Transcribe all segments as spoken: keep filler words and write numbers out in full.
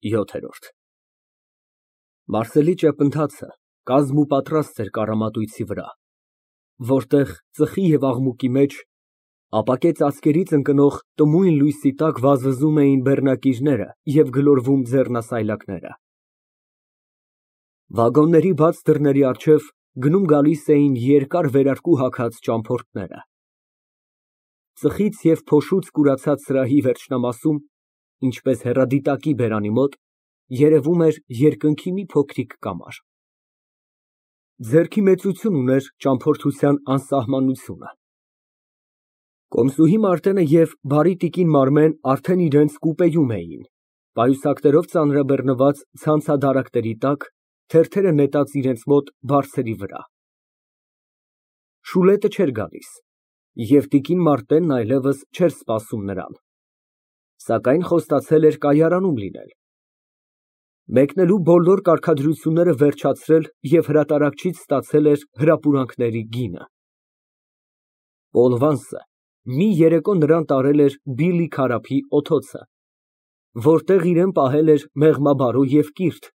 ՅՈԹԵՐՈՐԴ Մարսելի ճեպընթացը կազմուպատրաստ էր կառամատույցի վրա, որտեղ ծխի և աղմուկի մեջ, ապակե ծածկերից ընկնող տմույն լույսի տակ վազվզում էին բեռնակիրները և գլորվում ձեռնասայլակները։ Վագոնների բաց դռների առջև գնում֊գալիս էին երկար վերարկու հագած ճամփորդները։ Ծխից և փոշուց կուրացած սրահի վերջնամասում, ինչպես հեռադիտակի բերանի մոտ, երևում էր երկնքի մի փոքրիկ կամար։ Ձեռքի մեծություն ուներ ճամփորդության անսահմանությունը։ Կոմսուհի Մարտենը և բարի տիկին Մարմեն արդեն իրենց կուպեում էին, պայուսակներով ծանրաբեռնված ցանցադարակների տակ, թերթերը նետած իրենց մոտ բարձերի վրա։ Շուլետը չէր գալիս, և տիկին Մարտենն այլևս չէր սպասում նրան, սակայն խոստացել էր կայարանում լինել, մեկնելու բոլոր կարգադրությունները վերջացրել և հրատարակչից ստացել էր հրապուրանքների գինը։ մի երեկո նրան տարել էր Բիլլի Քարափի օթոցը, որտեղ իրան պահել էր մեղմաբարո և կիրթ,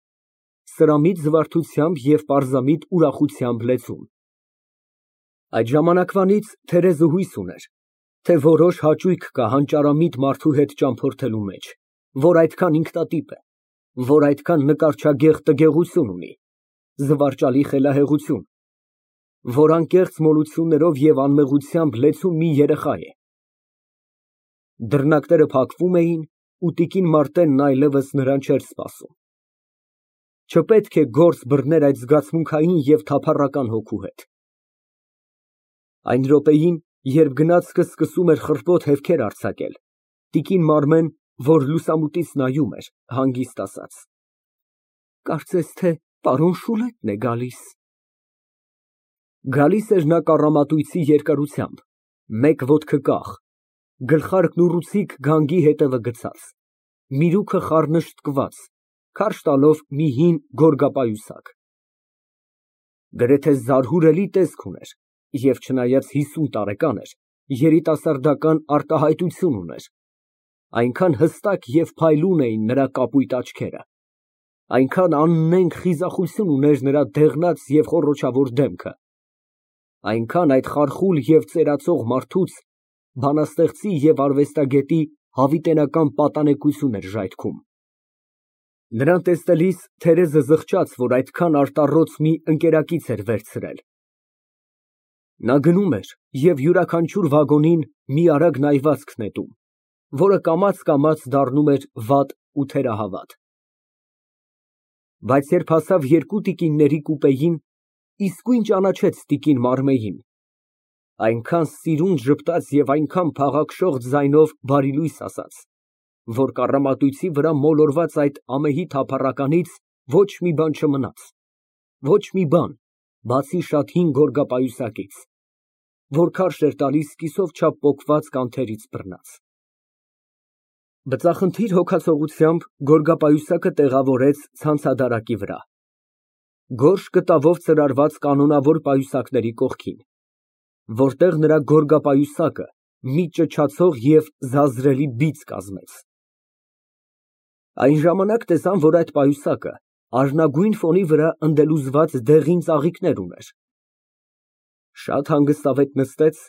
սրամիտ զվարթությամբ և պարզամիտ ուրախությամբ լեցուն։ Այդ ժամանակվանից Թերեզը հույս ուներ, թե որոշ հաճույք կա հանճարամիտ մարդու հետ ճամփորդելու մեջ, որ այդքան ինքնատիպ է, որ այդքան նկարչագեղ տգեղություն ունի, զվարճալի խելահեղություն, որ անկեղծ մոլություններով և անմեղությամբ լեցուն մի երեխա է։ Դռնակները փակվում էին, ու տիկին Մարտենն այլևս նրան չէր սպասում։ Չպետք է գործ բռներ այդ զգացմունքային և թափառական հոգու հետ։ Այն րոպեին, երբ գնացքը սկսում էր խռպոտ հետքեր արձակել, տիկին Մարմեն, որ լուսամուտից նայում էր, հանգիստ ասաց. Կարծես թե պարոն Շուլետն է գալիս։ Գալիս էր նա կառամատույցի երկարությամբ, մեկ ոտքը կախ, գլխարկն ուռուցիկ գանգի ետևը գցած, միրուքը խառնշտկված, քարշ տալով մի հին գորգապայուսակ։ Գրեթե զարհուրելի տեսք ուներ և, չնայած հիսուն տարեկան էր, երիտասարդական արտահայտություն ուներ, այնքան հստակ և փայլուն էին նրա կապույտ աչքերը, այնքան աննենգ խիզախություն ուներ նրա դեղնած և խոռոչավոր դեմքը, այնքան այդ խարխուլ և ծերացող մարդուց բանաստեղծի և արվեստագետի հավիտենական պատանեկություն էր ժայթքում։ Նրան տեսնելիս Թերեզը զղջաց, որ այդքան արտառոց մի ընկերակից էր վերցրել։ Նա գնում էր և յուրաքանչյուր վագոնին մի արագ նայվածք նետում, որը կամաց֊կամաց դառնում էր վատ ու թերահավատ։ Բայց երբ հասավ երկու տիկինների կուպեին, իսկույն ճանաչեց տիկին Մարմեին, այնքան սիրուն ժպտաց և այնքան փաղաքշող ձայնով բարիլույս ասաց, որ կառամատույցի վրա մոլորված այդ ամեհի թափառականից ոչ մի բան չմնաց, ոչ մի բան, բացի շատ հին գորգապայուսակից, որ քարշ էր տալիս կիսով չափ պոկված կանթերից բռնած։ Բծախնդիր հոգացողությամբ գորգապայուսակը տեղավորեց ցանցադարակի վրա, գորշ կտավով ծրարված կանոնավոր պայուսակների կողքին, որտեղ նրա գորգապայուսակը մի ճչացող և զազրելի բիծ կազմեց։ Այն ժամանակ տեսան, որ այդ պայուսակը արնագույն ֆոնի վրա ընդելուզված դեղին ծաղիկներ ուներ։ Շատ հանգստավետ նստեց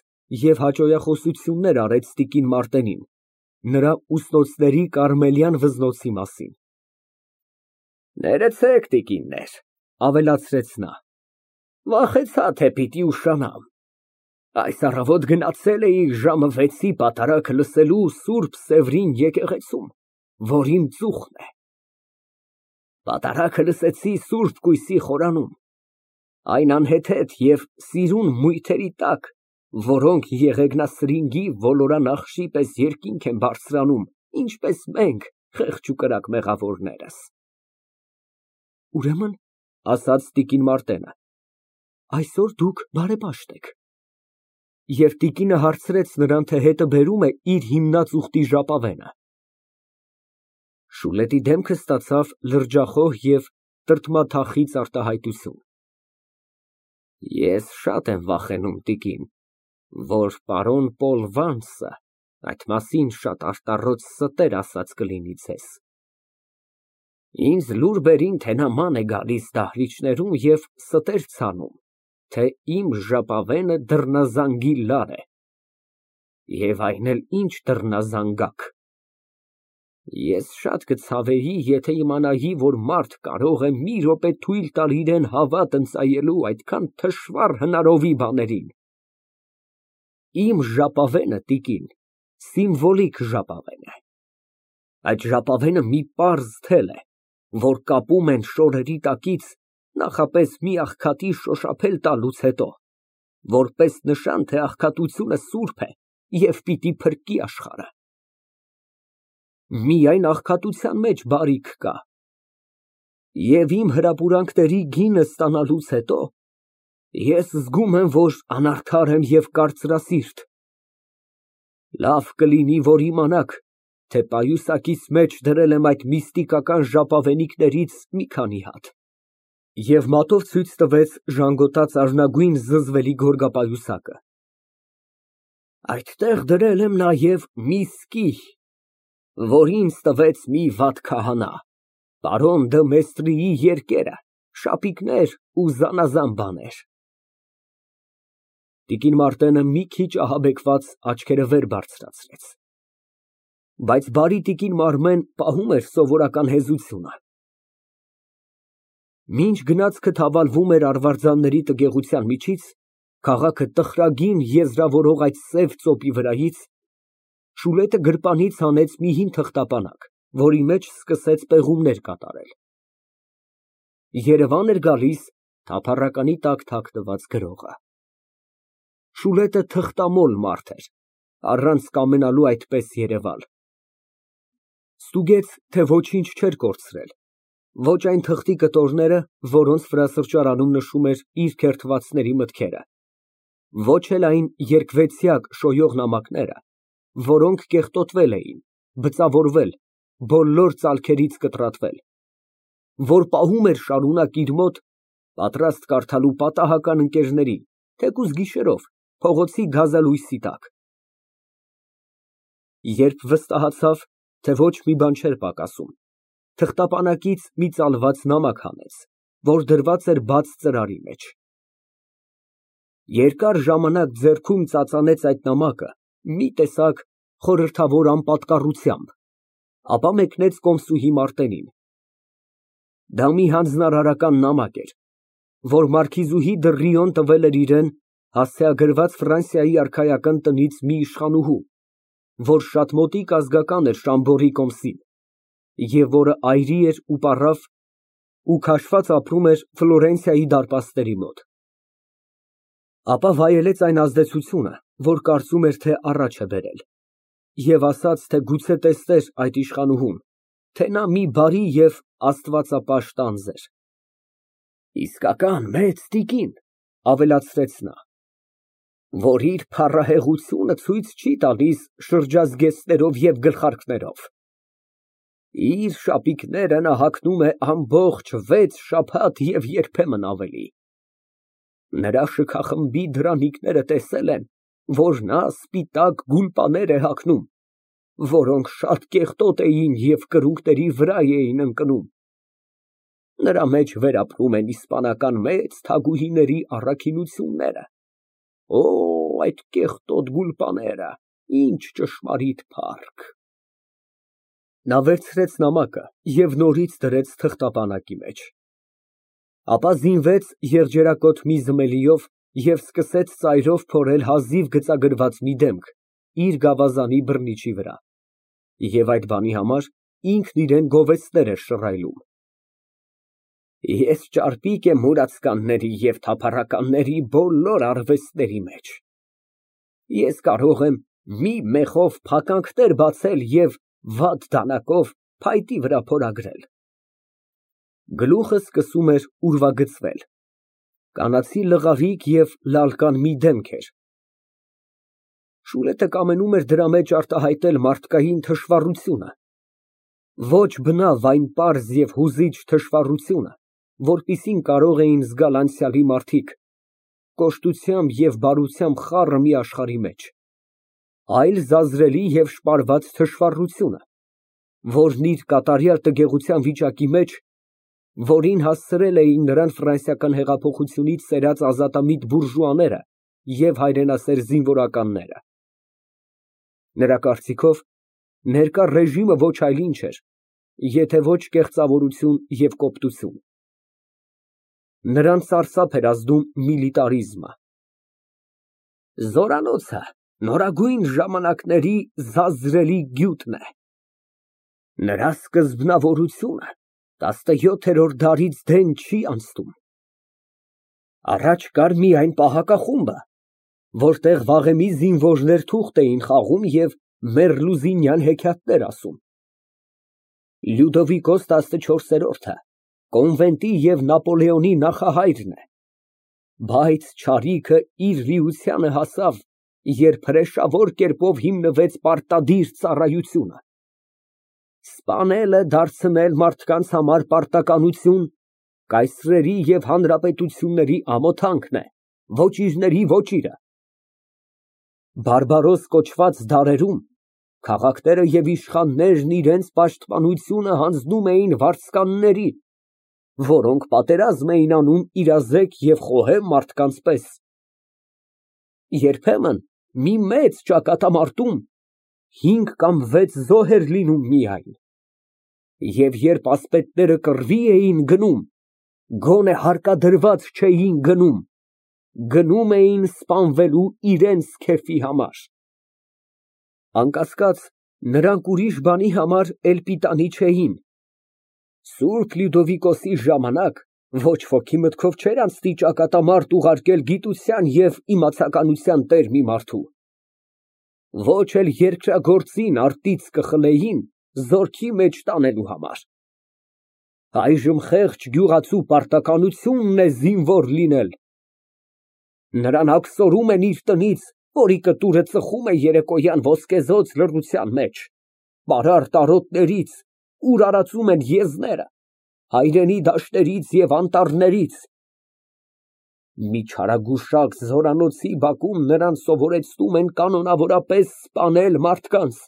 և հաճոյախոսություններ արեց տիկին Մարտենին նրա ուսնոցների կարմելյան վզնոցի մասին։ Ներեցեք, տիկիններ, ավելացրեց նա, վախեցա, թե պիտի ուշանամ, այս առավոտ գնացել էի ժամը վեցի պատարագը լսելու Սուրբ Սևրին եկեղեցում, որ իմ ծուխն է։ Պատարագը լսեցի սուրբ կույսի խորանում, այն անհեթեթ և սիրուն մույթերի տակ, որոնք Եղեգնասրինգի ոլորանախշի պես երկինք են բարձրանում, ինչպես մենք, խեղճ ու կրակ մեղավորներս։ Ուրեմն, ասաց տիկին Մարտենը, այսօր դուք բարեպաշտ եք։ Եվ տիկինը հարցրեց նրան, թե հետը բերո՞ւմ է իր հիմնած ուխտի ժապավենը։ Շուլետի դեմքը ստացավ լրջախոհ և տրտմաթախիծ արտահայտություն։ Ես շատ եմ վախենում, տիկին, որ պարոն Պոլ Վանսը այդ մասին շատ արտառոց ստեր ասած կլինի ձեզ։ Ինձ լուր բերին, թե նա ման է գալիս դահլիճներում և ստեր ցանում, թե իմ ժապավենը դռնազանգի լար է, և այն էլ ինչ դռնազանգակ։ Ես շատ կցավեի, եթե իմանայի, որ մարդ կարող է մի րոպե թույլ տալ իրան հավատ ընծայելու այդքան թշվառ հնարովի բաներին։ Իմ ժապավենը, տիկին, սիմվոլիկ ժապավեն է, այդ ժապավենը մի պարզ թել է, որ կապում են շորերի տակից նախապես մի աղքատի շոշափել տալուց հետո, որպես նշան, թե աղքատությունը սուրբ է և պիտի փրկի աշխարհը։ Միայն աղքատության մեջ բարիք կա, և իմ հրապուրանքների գինը ստանալուց հետո ես զգում եմ, որ անարդար եմ և կարծրասիրտ։ Լավ կլինի, որ իմանաք, թե պայուսակիս մեջ դրել եմ այդ միստիկական ժապավենիքներից մի քանի հատ։ (Եվ մատով ցույց տվեց ժանգոտած արհնագույն զզվելի գորգապայուսակը)։ Այդտեղ դրել եմ նաև մի սկի, որ ինձ տվեց մի վատ քահանա, պարոն դը Մեստրիի երկերը, շապիկներ ու զանազան բաներ։ Տիկին Մարտենը մի քիչ ահաբեկված աչքերը վեր բարձրացրեց, բայց բարի տիկին Մարմեն պահում էր սովորական հեզությունը։ Մինչ գնացքը թավալվում էր արվարձանների տգեղության միջից, քաղաքը տխրագին եզրավորող այդ սև ծոպի վրայից, Շուլետը գրպանից հանեց մի հին թղթապանակ, որի մեջ սկսեց պեղումներ կատարել։ Երևան էր գալիս թափառականի տակ թաքնված գրողը։ Շուլետը թղթամոլ մարդ էր, առանց կամենալու այդպես երևալ։ Ստուգեց, թե ոչինչ չէր կորցրել, ոչ այն թղթի կտորները, որոնց վրա սրճարանում նշում էր իր քերթվածների մտքերը, ոչ էլ այն երկվեցյակ շոյող նամակները, որոնք կեղտոտվել էին, բծավորվել, բոլոր ծալքերից կտրատվել, որ պահում էր շարունակ իր մոտ, պատրաստ կարդալու պատահական ընկերներին, թեկուզ գիշերով, փողոցի գազալույսի տակ։ Երբ վստահացավ, թե ոչ մի բան չէր պակասում, թղթապանակից մի ծալված նամակ հանեց, որ դրված էր բաց ծրարի մեջ։ Երկար ժամանակ ձեռքում ծածանեց այդ նամակը մի տեսակ խորհրդավոր անպատկառությամբ, ապա մեկնեց կոմսուհի Մարտենին։ Դա մի հանձնարարական նամակ էր, որ մարքիզուհի դը Ռիոն տվել էր իրան հասցեագրված Ֆրանսիայի արքայական տնից մի իշխանուհու, որ շատ մոտիկ ազգական էր Շամբորի կոմսին, և որը այրի էր ու պառավ ու քաշված ապրում էր Ֆլորենցիայի դարպասների մոտ։ Ապա վայելեց այն ազդեցությունը, որ կարծում էր, թե առաջ է բերել, և ասաց, թե գուցե տեսներ այդ իշխանուհուն, թե նա մի բարի և աստվածապաշտ անձ էր։ Իսկական մեծ տիկին, ավելացրեց նա, որ իր փառահեղությունը ցույց չի տալիս շրջազգեստներով և գլխարկներով։ Իր շապիկները նա հագնում է ամբողջ վեց շաբաթ և երբեմն ավելի։ Նրա շքախմբի դրանիկները տեսել են, որ նա սպիտակ գուլպաներ է հագնում, որոնք շատ կեղտոտ էին և կրունկների վրա էին ընկնում։ Նրա մեջ վերապրում են իսպանական մեծ թագուհիների առաքինությունները։ Օ, այդ կեղտոտ գուլպաները, ինչ ճշմարիտ փառք։ Նա վերցրեց նամակը և նորից դրեց թղթապանակի մեջ, ապա զինվեց եղջերակոթ մի զմելիով և սկսեց ծայրով փորել հազիվ գծագրված մի դեմք իր գավազանի բռնիչի վրա, և այդ բանի համար ինքն իրան գովեստներ էր շռայլում։ Ես ճարպիկ եմ մուրացկանների և թափառականների բոլոր արվեստների մեջ։ Ես կարող եմ մի մեխով փականքներ բացել և վատ դանակով փայտի վրա փորագրել։ Գլուխը սկսում էր ուրվագծվել, կանացի լղարիկ և լալկան մի դեմք էր։ Շուլետը կամենում էր դրա մեջ արտահայտել մարդկային թշվառությունը, ոչ բնավ այն պարզ և հուզիչ թշվառությունը, որպիսին կարող էին զգալ անցյալի մարդիկ, կոշտությամբ և բարությամբ խառը մի աշխարհի մեջ, այլ զազրելի և շպարված թշվառությունը, որն իր կատարյալ տգեղության վիճակի մեջ, որին հասցրել էին նրան ֆրանսիական հեղափոխությունից սերած ազատամիտ բուրժուաները և հայրենասեր զինվորականները։ Նրա կարծիքով, ներկա ռեժիմը ոչ այլ ինչ էր, եթե ոչ կեղծավորություն և կոպտություն։ Նրան սարսափ էր ազդում միլիտարիզմը։ Զորանոցը նորագույն ժամանակների զազրելի գյուտն է։ Նրա սկզբնավորությունը տասնյոթերորդ դարից դեն չի անցնում։ Առաջ կար միայն պահակախումբը, որտեղ վաղեմի զինվորներ թուղթ էին խաղում և մերլուզինյան հեքիաթներ ասում։ Լյուդովիկոս տասնչորսերորդը կոնվենտի և Նապոլեոնի նախահայրն է, բայց չարիքը իր լիությանը հասավ, երբ հրեշավոր կերպով հիմնվեց պարտադիր ծառայությունը։ Սպանելը դարձնել մարդկանց համար պարտականություն կայսրերի և հանրապետությունների ամոթանքն է, ոճիրների ոճիրը։ Բարբարոս կոչված դարերում քաղաքները և իշխաններն իրենց պաշտպանությունը հանձնում էին վարձկանների, որոնք պատերազմ էին անում իրազեկ և խոհեմ մարդկանց պես։ Երբեմն մի մեծ ճակատամարտում հինգ կամ վեց զոհ էր լինում միայն, և երբ ասպետները կռվի էին գնում, գոնե հարկադրված չէին գնում, գնում էին սպանվելու իրենց քեֆի համար։ Անկասկած, նրանք ուրիշ բանի համար էլ պիտանի չէին։ Սուրբ Լյուդովիկոսի ժամանակ ոչ ոքի մտքով չէր անցնի ճակատամարտ ուղարկել գիտության և իմացականության տեր մի մարդու, ոչ էլ երկրագործին արտից կխլեին զորքի մեջ տանելու համար։ Այժմ խեղճ գյուղացու պարտականությունն է զինվոր լինել։ Նրան աքսորում են իր տնից, որի կտուրը ծխում է երեկոյան ոսկեզօծ լռության մեջ, պարարտ արոտներից, ուր արածում են եզները, հայրենի դաշտերից և անտառներից։ Մի չարագուշակ զորանոցի բակում նրան սովորեցնում են կանոնավորապես սպանել մարդկանց։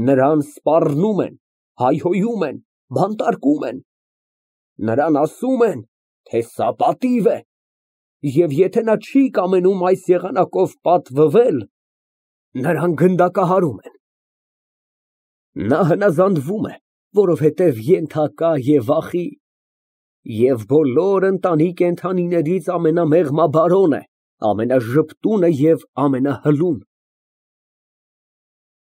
Նրան սպառնում են, հայհոյում են, բանտարկում են։ Նրան ասում են, թե սա պատիվ է, և եթե նա չի կամենում այս եղանակով պատվվել, նրան գնդակահարում են։ Նա հնազանդվում է, որովհետև ենթակա է վախի, և բոլոր ընտանի կենդանիներից ամենամեղմաբարոն է, ամենաժպտունը և ամենահլուն։